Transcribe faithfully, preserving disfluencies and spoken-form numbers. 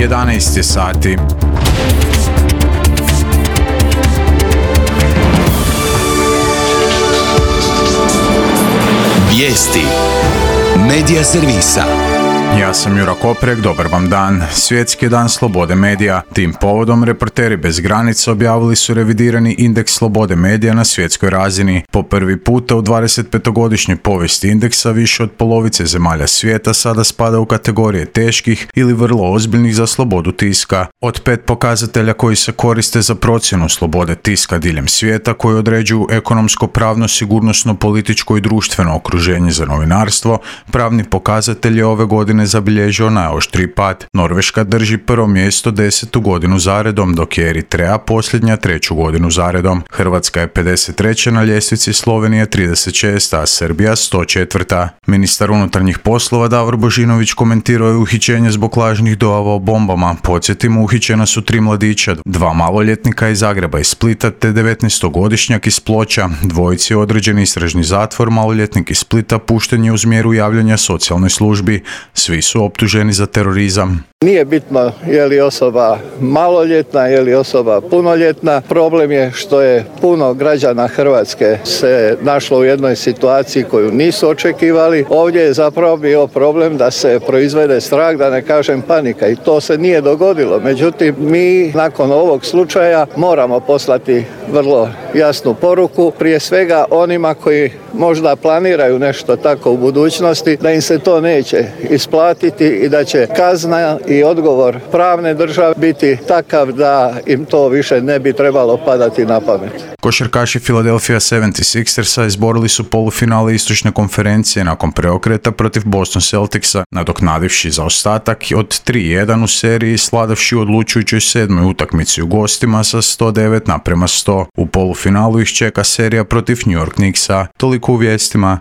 jedanaest je sati. Vijesti medija servisa. Ja sam Jura Koprek, dobar vam dan. Svjetski dan slobode medija. Tim povodom Reporteri bez granica objavili su revidirani indeks slobode medija na svjetskoj razini. Po prvi puta u dvadesetpetogodišnjoj povijesti indeksa više od polovice zemalja svijeta sada spada u kategorije teških ili vrlo ozbiljnih za slobodu tiska. Od pet pokazatelja koji se koriste za procjenu slobode tiska diljem svijeta, koji određuju ekonomsko, pravno, sigurnosno, političko i društveno okruženje za novinarstvo, pravni pokazatelj je ove godine zabilježio najoštriji pad. Norveška drži prvo mjesto desetu godinu zaredom, dok je Eritreja posljednja treću godinu zaredom. Hrvatska je pedeset treća na ljestvici, Slovenija trideset šesta, a Srbija sto četvrta. Ministar unutarnjih poslova Davor Božinović komentirao je uhićenje zbog lažnih dojava o bombama. Podsjetimo, uhićena su tri mladića, dva maloljetnika iz Zagreba i Splita te devetnaestogodišnjak iz Ploča. Dvojici je određen istražni zatvor, maloljetnik iz Splita pušten je uz mjeru javljanja socijalnoj službi. Svi su optuženi za terorizam. Nije bitno je li osoba maloljetna, je li osoba punoljetna. Problem je što je puno građana Hrvatske se našlo u jednoj situaciji koju nisu očekivali. Ovdje je zapravo bio problem da se proizvede strah, da ne kažem panika, i to se nije dogodilo. Međutim, mi nakon ovog slučaja moramo poslati vrlo jasnu poruku, prije svega onima koji možda planiraju nešto tako u budućnosti, da im se to neće isplatiti i da će kazna i odgovor pravne države biti takav da im to više ne bi trebalo padati na pamet. Košarkaši Philadelphia sedamdesetošestersa izborili su polufinale istočne konferencije nakon preokreta protiv Boston Celticsa, nadoknadivši zaostatak od tri jedan u seriji i sladavši u odlučujućoj sedmoj utakmici u gostima sa sto devet naprema sto. U polufinalu ih čeka serija protiv New York Knicksa. Toliko u vijestima.